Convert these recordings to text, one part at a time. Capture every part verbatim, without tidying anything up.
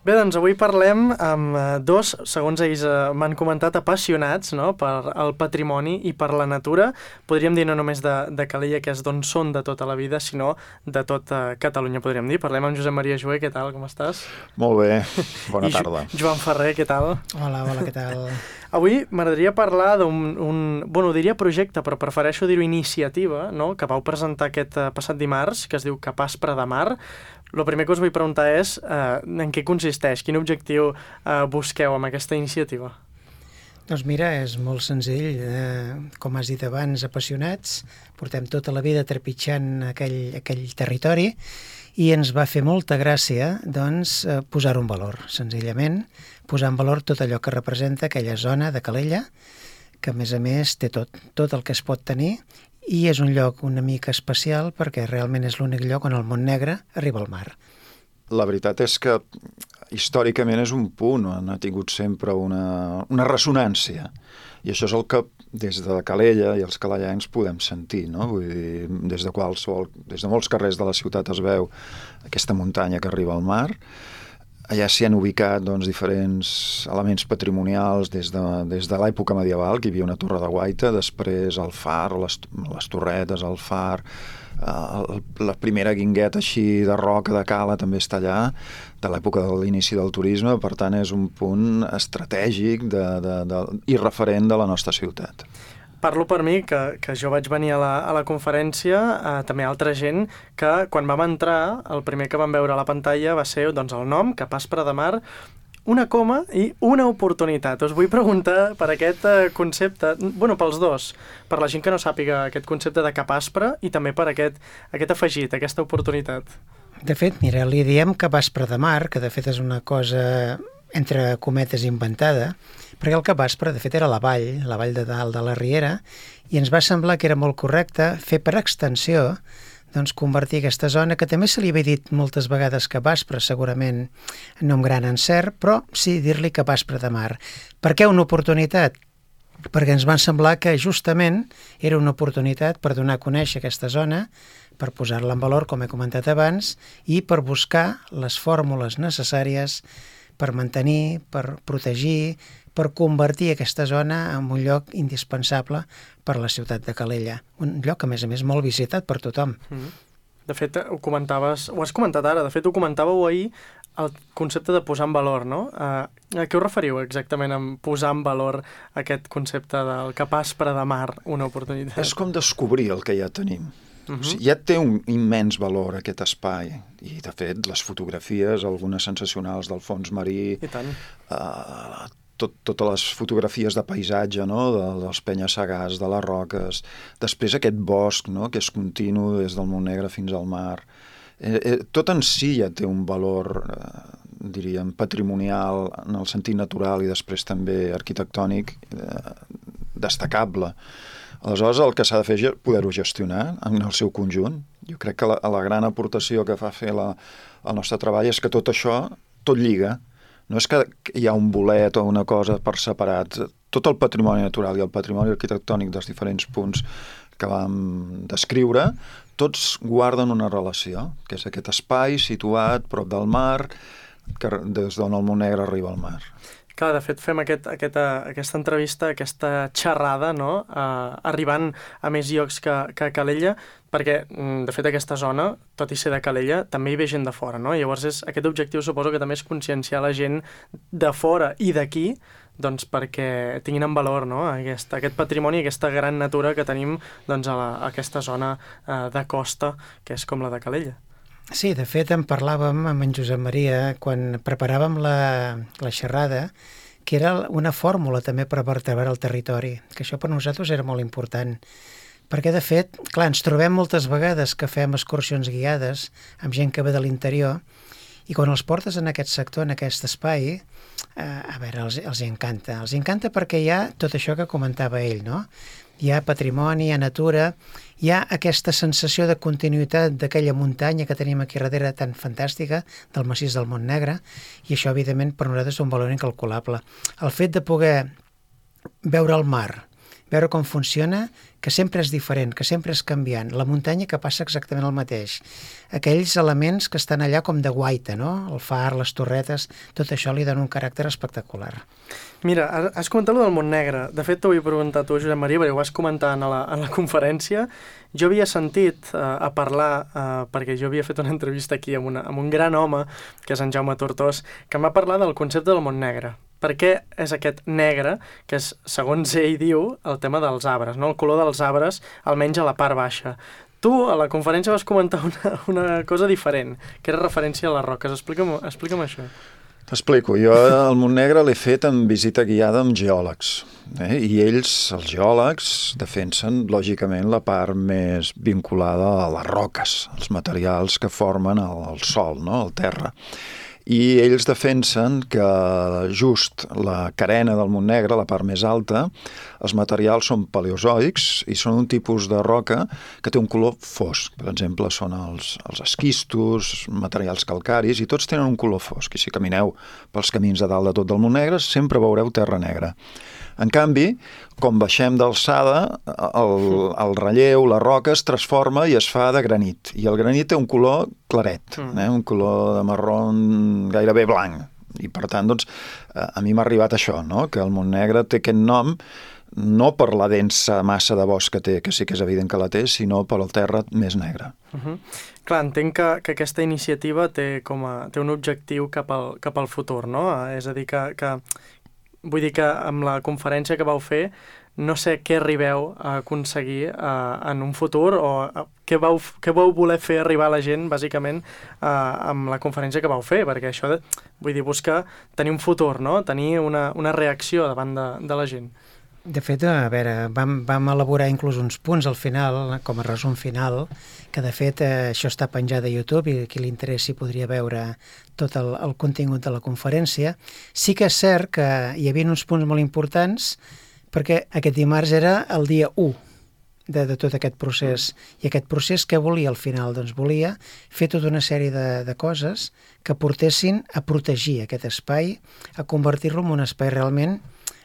Bé, doncs avui parlem amb eh, dos, segons ells eh, m'han comentat, apassionats, no?, per el patrimoni i per la natura. Podríem dir no només de, de Calella, que és d'on són de tota la vida, sinó de tota Catalunya, podríem dir. Parlem amb Josep Maria Jover, què tal, com estàs? Molt bé, bona I Jo- tarda. Joan Ferrer, què tal? Hola, hola, què tal? Avui m'agradaria parlar d'un, un, bueno, diria projecte, però prefereixo dir-ho iniciativa, no?, que vau presentar aquest eh, passat dimarts, que es diu Capaspre de Mar. El primer que us vull preguntar és eh, en què consisteix, quin objectiu eh, busqueu amb aquesta iniciativa? Doncs mira, és molt senzill. Eh, com has dit abans, apassionats, portem tota la vida trepitjant aquell, aquell territori i ens va fer molta gràcia doncs, eh, posar-ho en valor, senzillament, posar en valor tot allò que representa aquella zona de Calella, que a més a més té tot, tot el que es pot tenir, i és un lloc una mica especial perquè realment és l'únic lloc on el Montnegre arriba al mar. La veritat és que històricament és un punt on ha tingut sempre una, una ressonància. I això és el que des de Calella i els calellencs podem sentir, no? Vull dir, des de qualsevol, des de molts carrers de la ciutat es veu aquesta muntanya que arriba al mar. Allà s'hi han ubicat doncs, diferents elements patrimonials des de, des de l'època medieval, que hi havia una torre de guaita, després el far, les, les torretes, el far, eh, la primera guingueta així de roca de cala també està allà, de l'època de l'inici del turisme, per tant és un punt estratègic de, de, de, i referent de la nostra ciutat. Parlo per mi, que, que jo vaig venir a la, a la conferència, eh, també altra gent, que quan vam entrar, el primer que vam veure a la pantalla va ser doncs, el nom, Capaspre de Mar, una coma i una oportunitat. Us vull preguntar per aquest eh, concepte, bueno, pels dos, per la gent que no sàpiga aquest concepte de Capaspre i també per aquest, aquest afegit, aquesta oportunitat. De fet, mira, li diem Capaspre de Mar, que de fet és una cosa entre cometes inventada, perquè el Capaspre, de fet, era la vall, la vall de dalt de la Riera, i ens va semblar que era molt correcte fer per extensió, doncs convertir aquesta zona, que també se li havia dit moltes vegades Capaspre, segurament no amb gran encert, però sí dir-li Capaspre de Mar. Per què una oportunitat? Perquè ens va semblar que justament era una oportunitat per donar a conèixer aquesta zona, per posar-la en valor, com he comentat abans, i per buscar les fórmules necessàries per mantenir, per protegir, per convertir aquesta zona en un lloc indispensable per a la ciutat de Calella. Un lloc, a més a més, molt visitat per tothom. Mm. De fet, ho comentaves, ho has comentat ara, de fet ho comentàveu ahir, el concepte de posar en valor, no? Uh, a què us referiu exactament amb posar en valor aquest concepte del Capaspre de Mar, una oportunitat? És com descobrir el que ja tenim. Uh-huh. O sigui, ja té un immens valor aquest espai i de fet les fotografies, algunes sensacionals del fons marí, I tant. eh, tot, totes les fotografies de paisatge, no? de, dels penya-segats, de les roques, després aquest bosc, no? que és continu des del Montnegre fins al mar, eh, eh, tot en si ja té un valor eh, diríem patrimonial en el sentit natural i després també arquitectònic eh, destacable. Aleshores, el que s'ha de fer és poder-ho gestionar en el seu conjunt. Jo crec que la, la gran aportació que fa fer la, el nostre treball és que tot això, tot lliga. No és que hi ha un bolet o una cosa per separat. Tot el patrimoni natural i el patrimoni arquitectònic dels diferents punts que vam descriure, tots guarden una relació, que és aquest espai situat prop del mar, que des d'on el Montnegre arriba al mar. Clar, de fet, fem aquest, aquesta, aquesta entrevista, aquesta xerrada, no?, uh, arribant a més llocs que, que Calella, perquè, de fet, aquesta zona, tot i ser de Calella, també hi ve gent de fora, no? Llavors, és, aquest objectiu suposo que també és conscienciar la gent de fora i d'aquí, doncs perquè tinguin en valor, no?, aquest, aquest patrimoni, aquesta gran natura que tenim doncs, a, la, a aquesta zona uh, de costa, que és com la de Calella. Sí, de fet, en parlàvem amb en Josep Maria quan preparàvem la, la xerrada, que era una fórmula també per vertebrar el territori, que això per nosaltres era molt important. Perquè, de fet, clar, ens trobem moltes vegades que fem excursions guiades amb gent que ve de l'interior i quan els portes en aquest sector, en aquest espai, eh, a veure, els, els encanta. Els encanta perquè hi ha tot això que comentava ell, no? Hi ha patrimoni, hi ha natura, hi ha aquesta sensació de continuïtat d'aquella muntanya que tenim aquí darrere tan fantàstica, del massís del Montnegre, i això, evidentment, per nosaltres és un valor incalculable. El fet de poder veure el mar, veure com funciona, que sempre és diferent, que sempre és canviant. La muntanya que passa exactament el mateix. Aquells elements que estan allà com de guaita, no? El far, les torretes, tot això li dona un caràcter espectacular. Mira, has comentat allò del Montnegre. De fet, t'ho vull preguntar a tu, Josep Maria, perquè ho vas comentar a la, a la conferència. Jo havia sentit uh, a parlar, uh, perquè jo havia fet una entrevista aquí amb, una, amb un gran home, que és en Jaume Tortós, que em va parlar del concepte del Montnegre. Per què és aquest negre, que és, segons ell diu, el tema dels arbres, no? El color dels arbres, almenys a la part baixa. Tu, a la conferència, vas comentar una, una cosa diferent, que era referència a les roques. Explica'm, explica'm això. T'explico. Jo el Montnegre l'he fet en visita guiada amb geòlegs. Eh? I ells, els geòlegs, defensen, lògicament, la part més vinculada a les roques, els materials que formen el, el sòl, no? El terra. I ells defensen que just la carena del Montnegre, la part més alta, els materials són paleozoics i són un tipus de roca que té un color fosc. Per exemple, són els, els esquistos, materials calcaris, i tots tenen un color fosc. I si camineu pels camins de dalt de tot del Montnegre, sempre veureu terra negra. En canvi, com baixem d'alçada, el, el relleu, la roca es transforma i es fa de granit. I el granit té un color claret, mm. eh? Un color de marró gairebé blanc. I per tant, doncs, a mi m'ha arribat això, no? Que el Montnegre té aquest nom no per la densa massa de bosc que té, que sí que és evident que la té, sinó per el terra més negre. Uh-huh. Clar, entenc que, que aquesta iniciativa té, com a, té un objectiu cap al, cap al futur, no? És a dir, que... que vull dir que amb la conferència que vau fer no sé què arribeu a aconseguir uh, en un futur o uh, què, vau, què vau voler fer arribar a la gent, bàsicament, uh, amb la conferència que vau fer, perquè això, de, vull dir, busca tenir un futur, no? Tenir una, una reacció davant de, de la gent. De fet, a veure, vam, vam elaborar inclús uns punts al final, com a resum final, que de fet eh, això està penjat a YouTube i qui li interessi podria veure tot el, el contingut de la conferència. Sí que és cert que hi havia uns punts molt importants perquè aquest dimarts era el dia u de, de tot aquest procés. I aquest procés què volia al final? Doncs volia fer tota una sèrie de, de coses que portessin a protegir aquest espai, a convertir-lo en un espai realment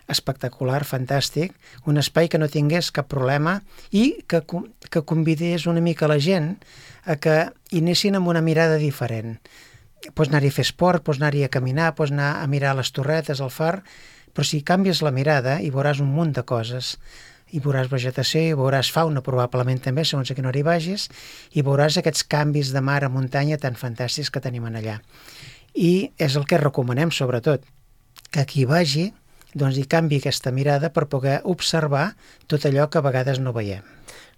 espectacular, fantàstic, un espai que no tingués cap problema i que, que convidés una mica la gent a que hi anessin amb una mirada diferent. Pots anar-hi a fer esport, pots anar-hi a caminar, pots anar a mirar les torretes, el far, però si canvies la mirada hi veuràs un munt de coses. Hi veuràs vegetació, hi veuràs fauna probablement també, segons a quina hora hi vagis, i veuràs aquests canvis de mar a muntanya tan fantàstics que tenim allà. I és el que recomanem, sobretot, que qui vagi doncs hi canvi aquesta mirada per poder observar tot allò que a vegades no veiem.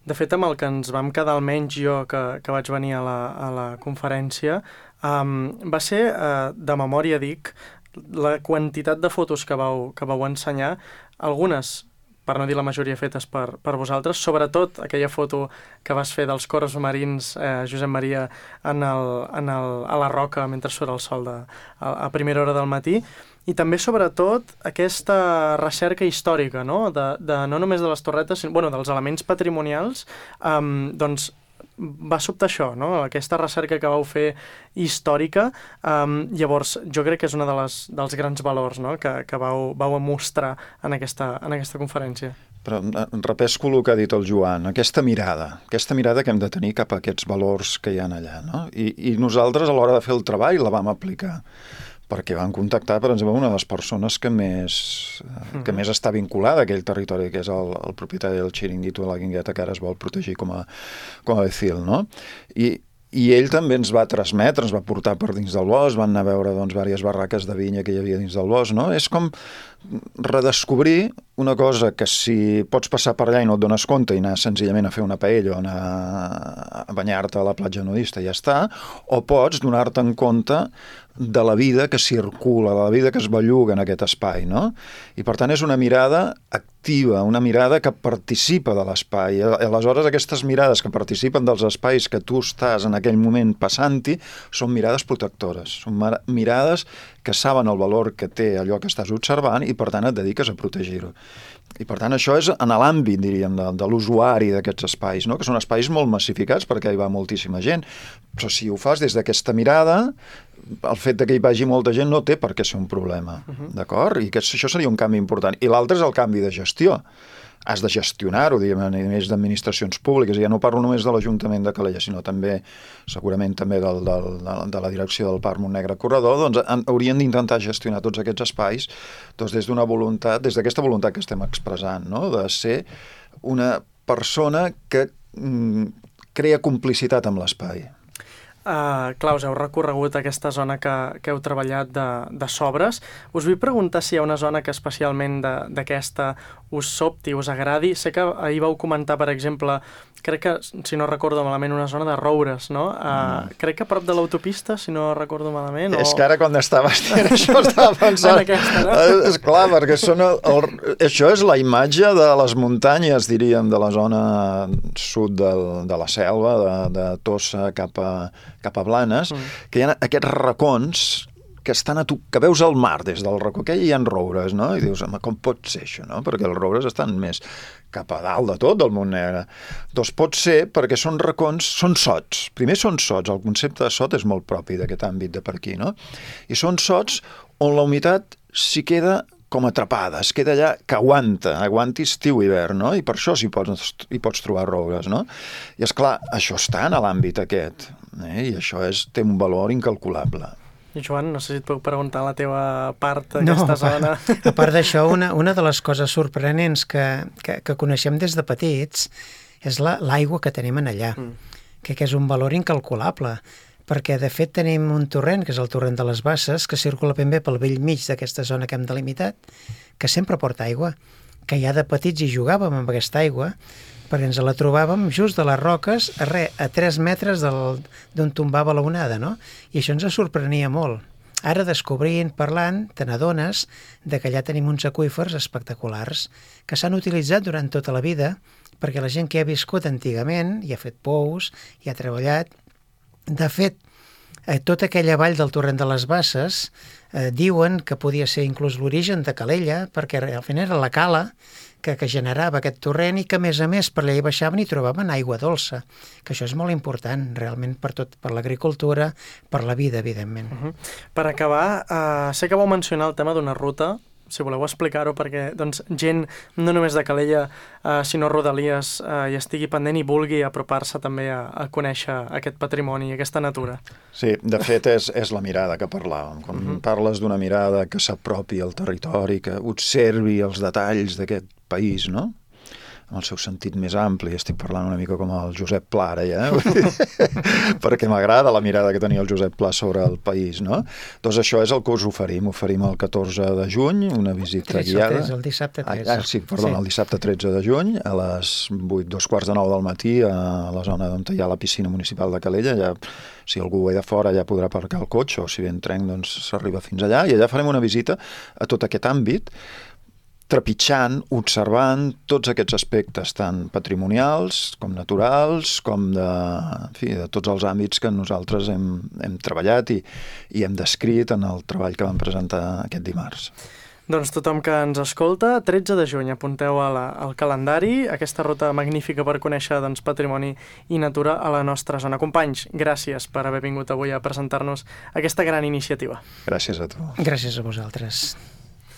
De fet, amb el que ens vam quedar, almenys jo, que, que vaig venir a la, a la conferència, um, va ser, uh, de memòria dic, la quantitat de fotos que vau, que vau ensenyar, algunes, per no dir la majoria fetes per, per vosaltres, sobretot aquella foto que vas fer dels corals marins, eh, Josep Maria, en el, en el, a la roca mentre surt el sol de, a, a primera hora del matí, i també, sobretot, aquesta recerca històrica, no? De, de, no només de les torretes, sinó bueno, dels elements patrimonials, um, doncs va sobtar això, no? Aquesta recerca que vau fer històrica. Um, llavors, jo crec que és un de les, dels grans valors, no? que, que vau, vau mostrar en aquesta, en aquesta conferència. Però repesco el que ha dit el Joan, aquesta mirada, aquesta mirada que hem de tenir cap a aquests valors que hi ha allà, no? I, i nosaltres, a l'hora de fer el treball, la vam aplicar, perquè van contactar, per exemple, una de les persones que més, que mm. més està vinculada a aquell territori, que és el, el propietari del xiringuito de la Guingueta, que ara es vol protegir com a, com a becil, no? I, I ell també ens va transmetre, ens va portar per dins del bosc, van anar a veure, doncs, diverses barraques de vinya que hi havia dins del bosc, no? És com redescobrir una cosa que si pots passar per allà i no et dones compte i anar senzillament a fer una paella o anar a banyar-te a la platja nudista i ja està, o pots donar-te en compte de la vida que circula, de la vida que es belluga en aquest espai, no? I per tant és una mirada activa, una mirada que participa de l'espai. Aleshores aquestes mirades que participen dels espais que tu estàs en aquell moment passant-hi són mirades protectores, són mirades que saben el valor que té allò que estàs observant i per tant et dediques a protegir-ho. I per tant això és en l'àmbit, diríem, de, de l'usuari d'aquests espais, no? Que són espais molt massificats perquè hi va moltíssima gent, però si ho fas des d'aquesta mirada, el fet de que hi vagi molta gent no té per què ser un problema, uh-huh. D'acord? I que això seria un canvi important. I l'altre és el canvi de gestió. has de gestionar-ho, diguem, a nivells d'administracions públiques, i ja no parlo només de l'Ajuntament de Calella, sinó també, segurament també del, del, de, de la direcció del Parc Montnegre Corredor, doncs han, haurien d'intentar gestionar tots aquests espais doncs, des d'una voluntat, des d'aquesta voluntat que estem expressant, no? De ser una persona que mm, crea complicitat amb l'espai. Uh, clar, us heu recorregut aquesta zona que, que heu treballat de, de sobres. Us vull preguntar si hi ha una zona que especialment d'aquesta us sobti, us agradi. Sé que ahir vau comentar, per exemple, crec que, si no recordo malament, una zona de roures, no? Uh, mm. Crec que a prop de l'autopista, si no recordo malament. És o... que ara quan estaves dient això estava pensant... en aquesta, no? És clar, perquè són el, el, això és la imatge de les muntanyes, diríem, de la zona sud del, de la selva, de, de Tossa cap a cap a Blanes, mm. que hi ha aquests racons que estan a tu, que veus el mar des del racó, que hi ha roures, no? I dius, home, com pot ser això, no? Perquè els roures estan més cap a dalt de tot del Montnegre. Doncs pot ser perquè són racons, són sots. Primer són sots, el concepte de sot és molt propi d'aquest àmbit de per aquí, no? I són sots on la humitat s'hi queda com atrapada, es queda allà que aguanta, aguanti estiu i hivern, no? I per això s'hi pots, hi pots trobar roures, no? I és clar, això està en l'àmbit aquest, eh? I això és, té un valor incalculable. I Joan, no sé si et puc preguntar la teva part d'aquesta no, zona. A part d'això, una, una de les coses sorprenents que, que, que coneixem des de petits és l'aigua la, que tenim en allà, mm. que, que és un valor incalculable, perquè de fet tenim un torrent, que és el torrent de les Basses, que circula ben bé pel vell mig d'aquesta zona que hem delimitat, que sempre porta aigua, que ja de petits hi jugàvem amb aquesta aigua, perquè ens la trobàvem just de les roques, a, re, a tres metres d'on tombava la onada, no? I això ens sorprenia molt. Ara, descobrint, parlant, te n'adones que allà tenim uns aqüífers espectaculars que s'han utilitzat durant tota la vida, perquè la gent que ha viscut antigament hi ha fet pous, hi ha treballat. De fet, eh, tota aquella vall del torrent de les Basses eh, diuen que podia ser inclús l'origen de Calella, perquè al final era la cala que, que generava aquest torrent i que, a més a més, per allà hi baixaven i trobaven aigua dolça, que això és molt important, realment, per tot, per l'agricultura, per la vida, evidentment. Uh-huh. Per acabar, eh, sé que vau mencionar el tema d'una ruta, si voleu explicar-ho, perquè doncs, gent no només de Calella, eh, sinó Rodalies, eh, hi estigui pendent i vulgui apropar-se també a, a conèixer aquest patrimoni, aquesta natura. Sí, de fet és, és la mirada que parlàvem. Quan uh-huh. parles d'una mirada que s'apropi al territori, que observi els detalls d'aquest país, no? En el seu sentit més ampli, estic parlant una mica com el Josep Pla ara, ja, perquè m'agrada la mirada que tenia el Josep Pla sobre el país, no? Doncs això és el que us oferim. Oferim el catorze de juny, una visita tretze, guiada. tretze, el dissabte tretze. Ah, sí, perdó, sí. El dissabte tretze de juny, a les vuit, dos quarts de nou del matí, a la zona on hi ha la piscina municipal de Calella. Ja, si algú ve de fora ja podrà aparcar el cotxe, o si ve en tren, doncs s'arriba fins allà, i allà farem una visita a tot aquest àmbit, trepitjant, observant tots aquests aspectes tan patrimonials com naturals, com de, en fi, de tots els àmbits que nosaltres hem, hem treballat i, i hem descrit en el treball que vam presentar aquest dimarts. Doncs tothom que ens escolta, tretze de juny, apunteu a la, al calendari aquesta ruta magnífica per conèixer doncs, patrimoni i natura a la nostra zona. Companys, gràcies per haver vingut avui a presentar-nos aquesta gran iniciativa. Gràcies a tu. Gràcies a vosaltres.